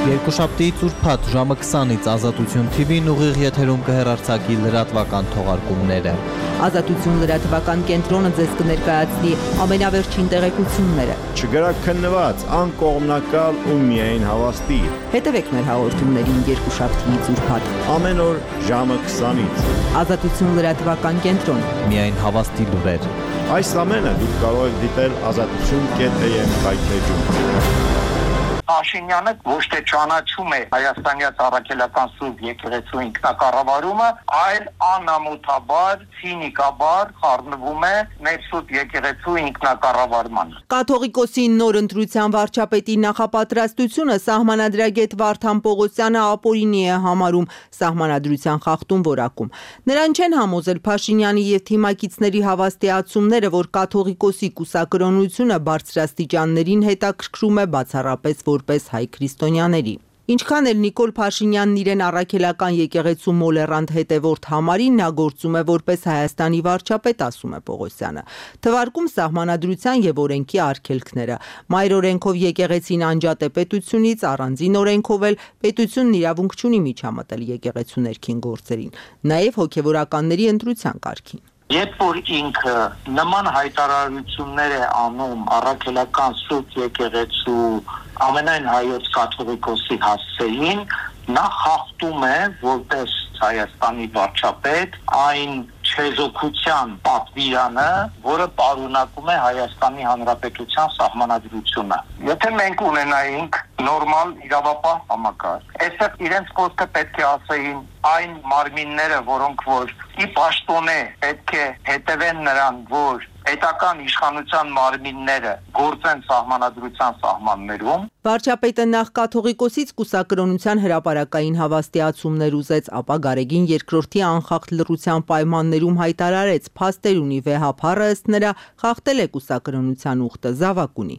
Երկուշաբթի ծուրփաթ ժամը 20-ից Ազատություն TV-ն ուղիղ եթերում կհեռարձակի լրատվական թողարկումները։ Ազատություն լրատվական կենտրոնը ձեզ կներկայացնի ամենավերջին տեղեկությունները։ Չգրաքննված, անկողմնակալ ու միայն հավաստի։ Հետևեք մեր հաղորդումներին երկուշաբթի ծուրփաթ։ Ամեն օր ժամը 20-ից։ Ազատություն լրատվական կենտրոն։ Միայն հավաստի լուրեր։ Այս ամենը դուք կարող եք դիտել azatutun.am հայթեջում։ Փաշինյանը ոչ թե ճանաչում է Հայաստանյան առաքելական սուրբ եկեղեցու ինքնակառավարումը, այլ անամոթաբար, ցինիկաբար խառնվում է մեր սուրբ եկեղեցու ինքնակառավարմանը։ Կաթողիկոսի նոր ընտրության վարչապետի նախապատրաստությունը սահմանադրագետ Վարդան Պողոսյանը ապօրինի է համարում սահմանադրության խախտում որակում։ Նրան չեն համոզել Փաշինյանի եւ թիմակիցների հավաստիացումները, որ կաթողիկոսի կուսակրոնությունը բարձրաստիճաններին հետաքրքրում է բացառապես որպես հայ քրիստոնյաների։ Ինչքան էլ Նիկոլ Փաշինյանն իրեն առաքելական եկեղեցու մոլեռանդ հետևորդ համարի, նա գործում է որպես Հայաստանի վարչապետ, ասում է Պողոսյանը։ Թվարկում սահմանադրության եւ օրենքի արգելքները։ Մայր օրենքով եկեղեցին անջատ է պետությունից, առանձին օրենքով էլ պետությունն իրավունք չունի միջամտել եկեղեցու ներքին գործերին, նաեւ հոգեվորականների ընտրության կարգին։ Երբ որ ինքը նման հայտարարություններ է անում առաքելական սուրբ եկեղեցու ամենայն հայոց կաթողիկոսի հասցեին, նա խախտում է որպես Հայաստանի վարչապետ այն չեզոքության պատվիրանը, որը պարունակում է Հայաստանի Հանրապետության սահմանադրությունը։ Եթե մենք ունենայինք նորմալ իրավապահ համակարգ, այստեղ իրենց խոսքը պետք է ասեին այն մարմինները, որոնք որ ի պաշտոնե պետք է հետևեն նրան, որ պետական իշխանության մարմինները գործեն սահմանադրության սահմաններում։ Վարչապետը նախ կաթողիկոսից կուսակրոնության հրապարակային հավաստիացումներ ուզեց, ապա Գարեգին II անխախտ լռության պայմաններում հայտարարեց, փաստեր ունի վեհափառը ըստ նրա խախտել է կուսակրոնության ուխտը, զավակ ունի։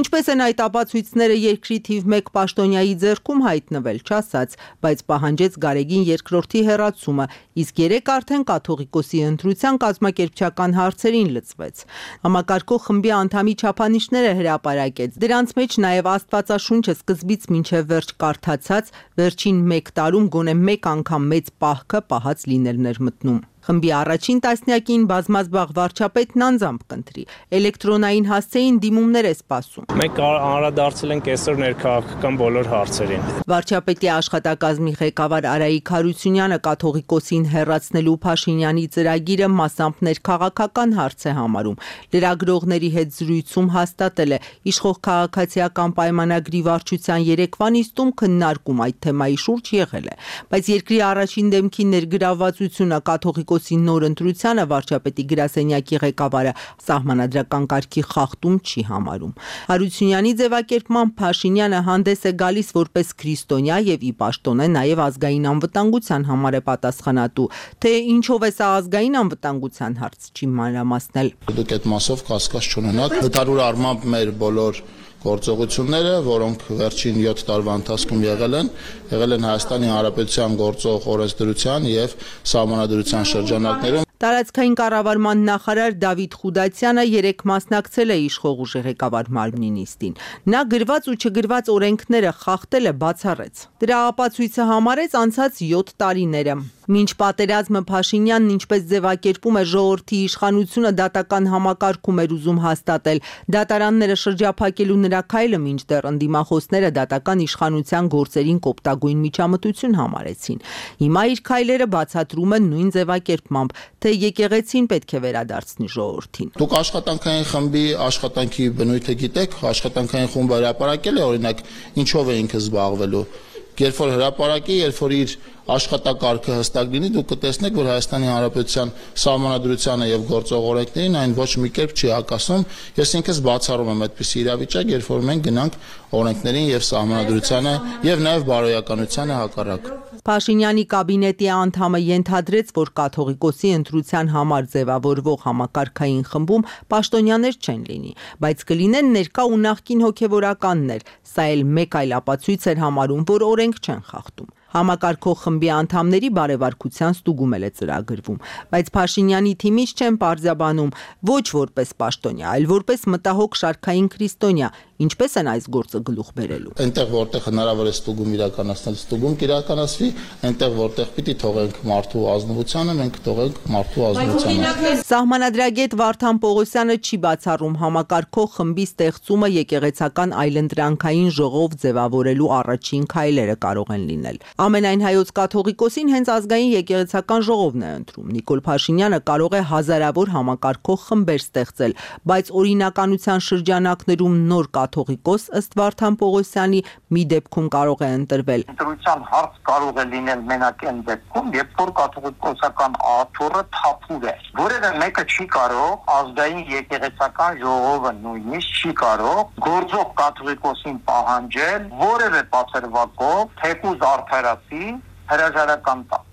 Ինչպես են այդ ապացույցները երկրի թիվ 1 պաշտոնյայի ձեռքում հայտնվել, չասաց, բայց պահանջեց Գարեգին II հեռացումը, իսկ 3 արդեն կաթողիկոսի ընտրության կազմակերպչական հարցերին լծվեց։ Համակարգող խմբի անդամի չափանիշները հրապարակեց, դրանց մեջ նաև Աստվածաշունչը սկզբից մինչև վերջ կարդացած, վերջին 1 տարում գոնե 1 անգամ մեծ պահքը պահած լինելն էր մտնում։ Խմբի առաջին տասնյակին բազմազբաղ վարչապետն անձամբ կընտրի։ Էլեկտրոնային հասցեին դիմումներ է սպասում։ Մենք անդրադարձել ենք այսօր ներքաղաքական բոլոր հարցերին։ Վարչապետի աշխատակազմի ղեկավար Արայիկ Հարությունյանը կաթողիկոսին հեռացնելու Փաշինյանի ծրագիրը մասամբ ներքաղաքական հարց է համարում։ Լրագրողների հետ զրույցում հաստատել է, իշխող քաղաքացիական պայմանագրի վարչության երեկվա նիստում քննարկում այդ թեմայի շուրջ եղել է, բայց երկրի առաջին դեմքի ներգրավվածությունը կաթողիկոսի նոր ընտրությանը վարչապետի գրասենյակի ղեկավարը սահմանադրական կարգի խախտում չի համարում։ Հարությունյանի ձևակերպմամբ Փաշինյանը հանդես է գալիս որպես քրիստոնյա եւ ի պաշտոնե նաեւ ազգային անվտանգության համար է պատասխանատու, թե ինչով է սա ազգային անվտանգության հարց չի մանրամասնել։ Դուք այդ մասով կասկած չունենաք, հդարուր առմամբ մեր բոլոր գործողությունները, որոնք վերջին 7 տարվա ընթացքում եղել են Հայաստանի Հանրապետության գործող օրենսդրության եւ սահմանադրության շրջանակներում։ Տարածքային կառավարման նախարար Դավիթ Խուդացյանը երեկ մասնակցել է իշխող ուժի ղեկավար մարմնի նիստին։ Նա գրված ու չգրված օրենքները խախտել է, բացառեց։ Դրա ապացույցը համարեց անցած 7 տարիները։ Մինչ պատերազմը Փաշինյանն ինչպես ձևակերպում է ժողովրդի իշխանությունը դատական համակարգում էր ուզում հաստատել, դատարանները շրջափակելու նրա քայլը մինչդեռ ընդդիմախոսները դատական իշխանության գործերին կոպտագույն միջամտություն համարեցին։ Հիմա իր քայլերը բացատրում են նույն ձևակերպմամբ, թե եկեղեցին պետք է վերադարձնի ժողովրդին։ Դուք աշխատանքային խմբի աշխատանքի բնույթը գիտեք, աշխատանքային խումբը հրապարակել է օրինակ ինչով է ինքը զբաղվելու։ Երբ որ հրապարակի, երբ որ իր աշխատակարգը հստակ լինի, դուք կտեսնեք, որ Հայաստանի Հանրապետության սահմանադրությանը եւ գործող օրենքներին այն ոչ մի կերպ չի հակասում։ Ես ինքս բացառում եմ այդպիսի իրավիճակ, երբ որ մենք գնանք օրենքներին եւ սահմանադրությանը եւ նաեւ բարոյականությանը հակառակ։ Փաշինյանի կաբինետի անդամը ենթադրեց, որ կաթողիկոսի ընտրության համար ձևավորվող համակարգային խմբում պաշտոնյաներ չեն լինի, բայց կլինեն ներկա ու նախկին հոգևորականներ։ Սա էլ մեկ այլ ապացույց էր համարում, որ օրենք չեն խախտում։ Համակարգող խմբի անդամների բարևարկության ստուգում է ծրագրվում, բայց Փաշինյանի թիմից չեն պարզաբանում ոչ որպես պաշտոնյա, այլ որպես մտահոգ շարքային քրիստոնյա, ինչպես են այս գործը գլուխ բերելու։ Այնտեղ որտեղ հնարավոր է ստուգում իրականացնել, ստուգում կիրականացվի, այնտեղ որտեղ պիտի թողենք մարդու ազնվությանը, մենք թողենք մարդու ազնվությանը։ Սահմանադրագետ Վարդան Պողոսյանը չի բացառում համակարգող խմբի ստեղծումը եկեղեցական այլընտրանքային ժողով ձևավորելու առաջին քայլերը կարող են լինել։ Ամենայն հայոց կաթողիկոսին հենց ազգային եկեղեցական ժողովն է ընտրում։ Նիկոլ Փաշինյանը կարող է հազարավոր համակարգող խմբեր ստեղծել, բայց օրինականության շրջանակներում նոր կաթողիկոս ըստ Վարդան Պողոսյանի մի դեպքում կարող է ընտրվել։ Ընտրության հարց կարող է լինել մենակ այն դեպքում, երբ որ կաթողիկոսական աթոռը թափուր է։ Որևէ մեկը չի կարող ազգային եկեղեցական ժողովը նույնիսկ չի կարող գործող կաթողիկոսին պահանջել որևէ բացերվակով թեկուզ արդարացի հրաժարական տա։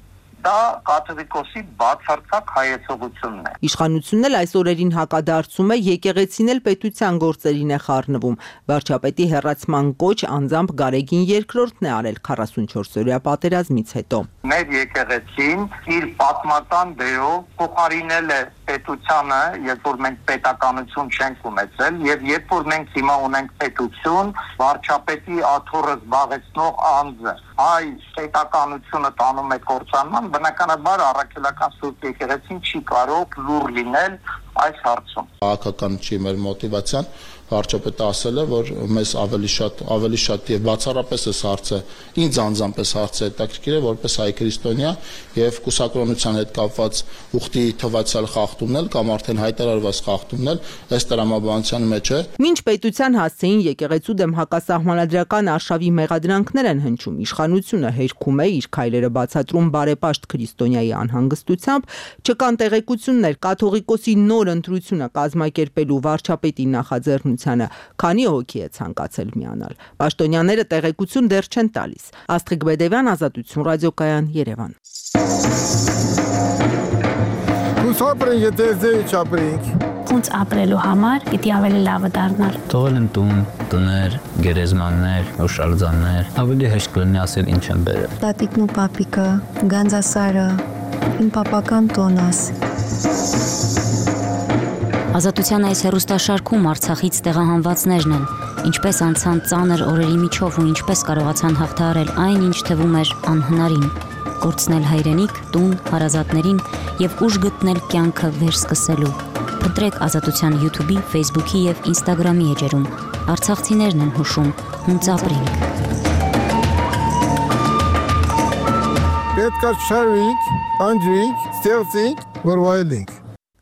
Դա կաթողիկոսի բացարձակ հայեցողությունն է։ Իշխանությունն էլ այս օրերին հակադարձում է, եկեղեցին էլ պետության գործերին է խառնվում։ Վարչապետի հեռացման կոչ անձամբ Գարեգին II-ն է արել 44-օրյա պատերազմից հետո։ Մեր եկեղեցին իր պատմական դերով փոխարինել է պետությանը, երբ որ մենք պետականություն չենք ունեցել, եւ երբ որ մենք հիմա ունենք պետություն, վարչապետի աթոռը զբաղեցնող անձը հայ պետականությունը տանում է կործանման, բնականաբար առաքելական Սուրբ եկեղեցին չի կարող լուր լինել այս հարցում։ Քաղաքական չի մեր մոտիվացիան, վարչապետը ասել է, որ մեզ ավելի շատ եւ բացառապես այս հարցը ինձ անձամբ այս հարցը հետաքրքիր է որպես հայ քրիստոնյա եւ կուսակրոնության հետ կապված ուխտի թվացial խախտումներ կամ արդեն հայտարարված խախտումներ այս տրամաբանության մեջ է։ Մինչ պետության հասցեին եկեղեցու դեմ հակասահմանադրական արշավի մեղադրանքներ են հնչում, իշխանությունը հերքում է իր քայլերը բացատրում բարեպաշտ քրիստոնյայի անհանգստությամբ, չկան տեղեկություններ կաթողիկոսի նոր ընտրությունը կազմակերպելու վարչապետի նախաձեռնությանը, քանի հոգի է ցանկացել միանալ։ Պաշտոնյաները տեղեկություն դեռ չեն տալիս։ Աստղիկ Բեդևյան, Ազատություն ռադիոկայան, Երևան։ Ապրենք, եթե ձեզ չապրենք։ Ոնց ապրելու համար պիտի ավելի լավը դառնալ։ Թողել են տուն, տներ, գերեզմաններ, օշալձաններ, ավելի հեշտ կլինի ասել ինչ են բերել։ Տատիկն ու պապիկը, Գանձասարը, իմ պապական տոնաս։ Ազատության այս հեռուստաշարքում Արցախից տեղահանվածներն են, ինչպես անցան ծանր օրերի միջով ու ինչպես կարողացան հաղթահարել այն, ինչ թվում էր անհնարին, կորցնել հայրենիք, տուն, հարազատներին եւ ուժ գտնել կյանքը վերսկսելու։ Փնտրեք Ազատության YouTube-ի, Facebook-ի եւ Instagram-ի էջերում։ Արցախցիներն են հուշում, հունց ապրենք։ Պետք է շարվենք, անջրենք, ստեղծենք, որ վայելենք։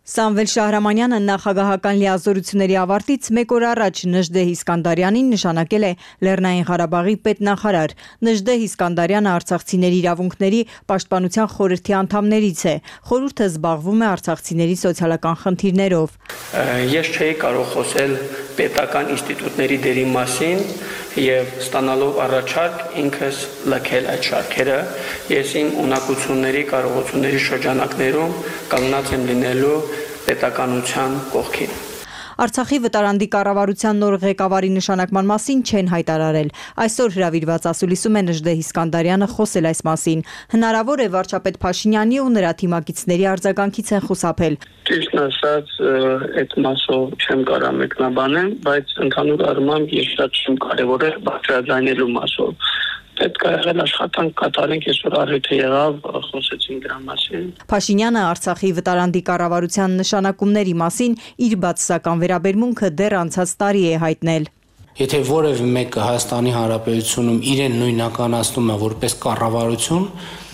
Սամվել Շահրամանյանը նախագահական լիազորությունների ավարտից մեկ օր առաջ Նժդեհ Իսկանդարյանին նշանակել է Լեռնային Ղարաբաղի պետնախարար։ Նժդեհ Իսկանդարյանը արցախցիների իրավունքների պաշտպանության խորհրդի անդամներից է։ Խորհուրդը զբաղվում է արցախցիների սոցիալական խնդիրներով։ Ես չէի կարող խոսել պետական ինստիտուտների դերի մասին եւ ստանալով առաջարկ ինքս լքել այդ շարքերը։ Ես իմ ունակությունների, կարողությունների շրջանակներում կանգնած եմ լինելու պետականության կողքին։ Արցախի վտարանդի կառավարության նոր ղեկավարի նշանակման մասին չեն հայտարարել։ Այսօր հրավիրված ասուլիսում է Նժդեհ Իսկանդարյանը խոսել այս մասին։ Հնարավոր է վարչապետ Փաշինյանի ու նրա թիմակիցների արձագանքից են խուսափել։ Ճիշտ ասած, այդ մասով չեմ կարող մեկնաբանել, բայց ընդհանուր առմամբ ես շատ չեմ կարևորել բարձրաձայնելու մասով։ Պետք է եղել աշխատանք կատարենք, այսօր առիթը եղավ, խոսեցին դրա մասին։ Փաշինյանը Արցախի վտարանդի կառավարության նշանակումների մասին իր բացասական վերաբերմունքը դեռ անցած տարի է հայտնել։ Եթե որևէ մեկը Հայաստանի Հանրապետությունում իրեն նույնականացնում է որպես կառավարություն,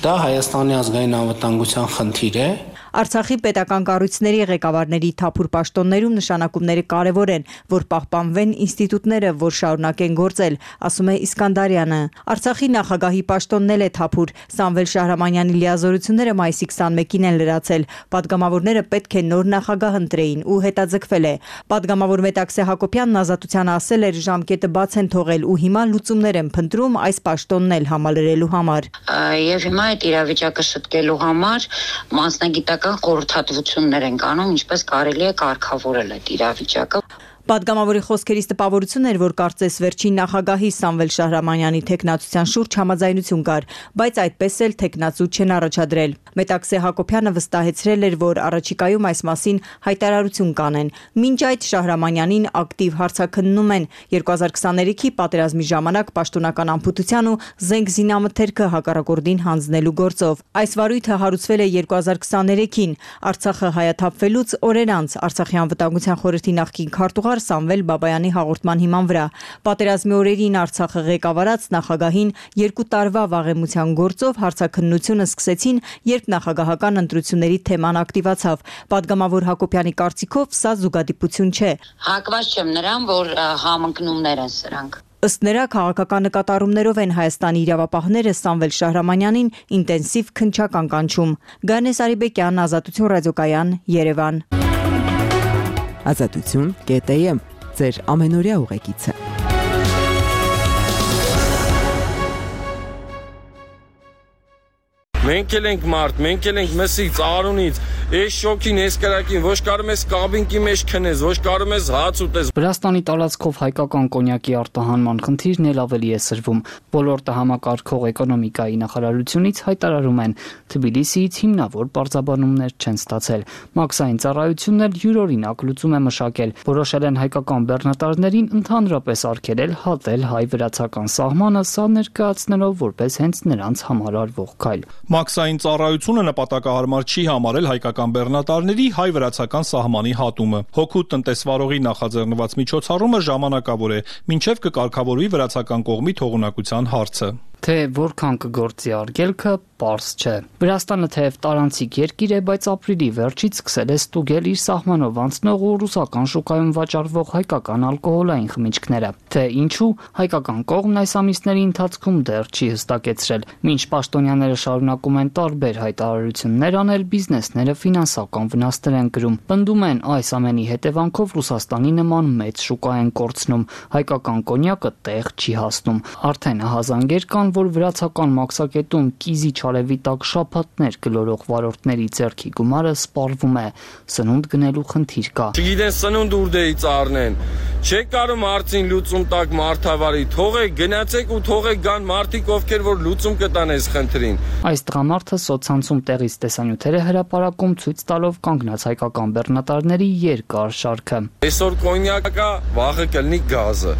դա Հայաստանի ազգային անվտանգության խնդիր է։ Արցախի պետական կառույցների ղեկավարների թափուր պաշտոններում նշանակումները կարևոր են, որ պահպանվեն ինստիտուտները, որ շարունակեն գործել, ասում է Իսկանդարյանը։ Արցախի նախագահի պաշտոնն էլ է թափուր։ Սամվել Շահրամանյանի լիազորությունները մայիսի 21-ին են լրացել։ Պատգամավորները պետք է նոր նախագահ ընտրեին ու հետաձգվել է։ Պատգամավոր Մետաքսե Հակոբյանն Ազատությանը ասել էր, ժամկետը բաց են թողել ու հիմա լուծումներ են փնտրում այս պաշտոնն էլ համալրելու համար։ Եվ հիմա այդ իրավիճակը շտկելու համար մասնագիտական խորհրդատվություններ են անում, ինչպես կարելի է կարգավորել այդ իրավիճակը։ Պատգամավորի խոսքերից տպավորություն էր, որ կարծես վերջին նախագահի Սամվել Շահրամանյանի թեկնածության շուրջ համաձայնություն կար, բայց այդպես էլ թեկնածու չեն առաջադրել։ Մետաքսե Հակոբյանը վստահեցրել էր, որ առաջիկայում այս մասին հայտարարություն կանեն։ Մինչ այդ Շահրամանյանին ակտիվ հարցաքննում են 2023-ի պատերազմի ժամանակ պաշտոնական անփութության ու զենք զինամթերքը հակառակորդին հանձնելու գործով։ Այս վարույթը հարուցվել է 2023-ին Արցախը հայաթափվելուց օրեր անց Արցախի անվտանգության խորհրդի նախկին քարտուղար Սամվել Բաբայանի հաղորդման հիման վրա։ Պատերազմի օրերին Արցախը ղեկավարած նախագահին 2 տարվա վաղեմության գործով հարցաքննությունը սկսեցին, երբ նախագահական ընտրությունների թեման ակտիվացավ։ Պատգամավոր Հակոբյանի կարծիքով սա զուգադիպություն չէ։ Հակված չեմ նրան, որ համընկնումներ են սրանք։ Ըստ նրա քաղաքական նկատառումներով են Հայաստանի իրավապահները Սամվել Շահրամանյանին ինտենսիվ քննչական կանչում։ Գանես Արիբեկյան, Ազատություն ռադիոկայան, Երևան։ Ազատություն.am ձեր ամենօրյա ուղեկիցը։ Մենք էլ ենք մարդ, մենք էլ ենք մսից, Արունից, այս շոքին, այս կրակին, ոչ կարում ես կաբինկի մեջ քնես, ոչ կարում ես հաց ուտես։ Վրաստանի տարածքով հայկական կոնյակի արտահանման խնդիրն էլ ավելի է սրվում։ Ոլորտը համակարգող էկոնոմիկայի նախարարությունից հայտարարում են, Թբիլիսիից հիմնավոր պարզաբանումներ չեն ստացել։ Մաքսային ծառայությունն էլ յուրօրինակ լուծում է մշակել։ Որոշել են հայկական բեռնատարներին ընդհանրապես արգելել հատել հայ-վրացական սահմանը, սա ներկայացնելով որպես հենց նրանց համար արվող քայլ։ Մաքսային ծառայությունը նպատակահարմար չի համարել հայկական բեռնատարների հայ-վրացական սահմանի հատումը։ Հոգուտ տնտեսվարողի նախաձեռնված միջոցառումը ժամանակավոր է, մինչև կկարգավորվի վրացական կողմի թողունակության հարցը։ Թե որքան կգործի արգելքը, պարզ չէ։ Վրաստանը թեև տարանցիկ երկիր է, բայց ապրիլի վերջից սկսել է ստուգել իր սահմանով անցնող ու ռուսական շուկայում վաճառվող հայկական ալկոհոլային խմիչքները։ Թե ինչու, հայկական կողմն այս ամիսների ընթացքում դեռ չի հստակեցրել։ Մինչ պաշտոնյաները շարունակում են տարբեր հայտարարություններ անել, բիզնեսները ֆինանսական վնասներ են կրում։ Պնդում են, այս ամենի հետևանքով Ռուսաստանի նման մեծ շուկա են կորցնում, հայկական կոնյակը տեղ չի հասնում։ Արդեն ահազանգեր կան, որ վրացական մաքսակետում կիզի չարևի տակ շաբաթներ գլորող վարորդների ձեռքի գումարը սպառվում է, սնունդ գնելու խնդիր կա։ Չգիտեն սնունդ ուրդեից առնեն, չեք կարում արծին լուծում տակ մարդավարի, թողեք գնացեք ու թողեք գան մարդիկ, ովքեր որ լուծում կտան այս խնդրին։ Այս տղամարդը սոցցանցում տեղից տեսանյութեր է հրապարակում, ցույց տալով կանգնած հայկական բեռնատարների երկար շարքը։ Այսօր կոնյակը, վաղը կլինի գազը,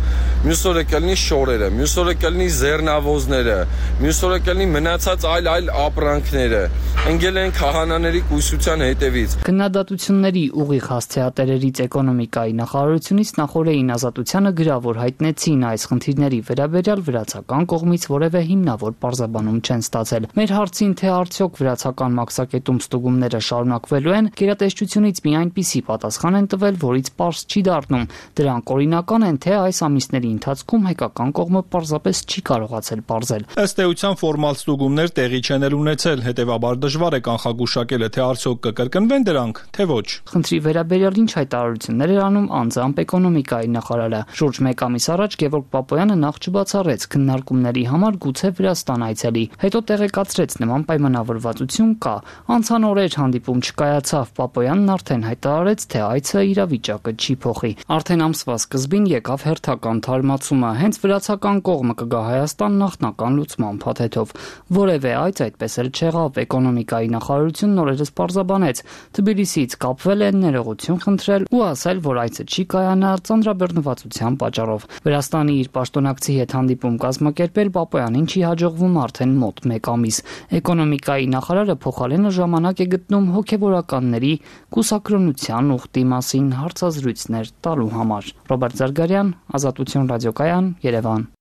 մյուս օրը կլինի շորերը, մյուս օրը կլինի զեռնավոզները, մյուս օրը կլինի մնացած այլ ապրանքները։ Ընկել են քահանաների կույսության հետևից։ Քննադատությունների ուղիղ հասցեատերերից էկոնոմիկայի նախարարությունից նախորդին Ազատությանը գրավոր հայտնեցին այս խնդիրների վերաբերյալ վրացական կողմից որևէ հիմնավոր պարզաբանում չեն ստացել։ Մեր հարցին, թե արդյոք վրացական մաքսակետում ստուգումները շարունակվելու են, գերատեսչությունից մի այնպիսի պատասխան են տվել, որից պարզ չի դառնում։ Դրանք օրինական են, թե այս ամիսների ընթացքում հայկական կողմը պարզապես չի կարողացել պարզել։ Ըստ էության ֆորմալ ստուգումներ տեղի չեն ունեցել, հետևաբար դժվար է կանխագուշակել, թե արդյոք կկրկնվեն դրանք, թե ոչ։ Խնդրի վերաբերյալ ինչ հայտարարություններ էր անում անձամբ էկոնոմիկայի նախարարը։ Շուրջ 1 ամիս առաջ Գևորգ Պապոյանը նախ չբացառեց քննարկումների համար գուցե Վրաստան այցելի, հետո տեղեկացրեց նման պայմանավորվածություն կա։ Անցան օրեր հանդիպում չկայացավ, Պապոյանն արդեն հայտարարեց, թե այցը իրավիճակը չի փոխի։ Արդեն ամսվա սկզբին եկավ հերթական թարմացումը, հենց վրացական կողմը կգա Հայաստան նախնական լուծման փաթեթով։ Որևէ այց այդպես էլ չեղավ, էկոնոմիկայի նախարարությունն օրերս պարզաբանեց, Թբիլիսիից կապվել են, ներողություն խնդրել ու ասել, որ այցը չի կայանա ծանրաբեռնվածության պատճառով։ Վրաստանի իր պաշտոնակցի հետ հանդիպում կազմակերպել Պապոյանին չի հաջողվում արդեն մոտ 1 ամիս։ Էկոնոմիկայի նախարարը փոխարենը ժամանակ է գտնում հոգևորականների կուսակրոնության ուխտի մասին հարցազրույցներ տալու համար։ Ռոբերտ Զարգարյան, Ազատություն ռադիոկայան, Երևան։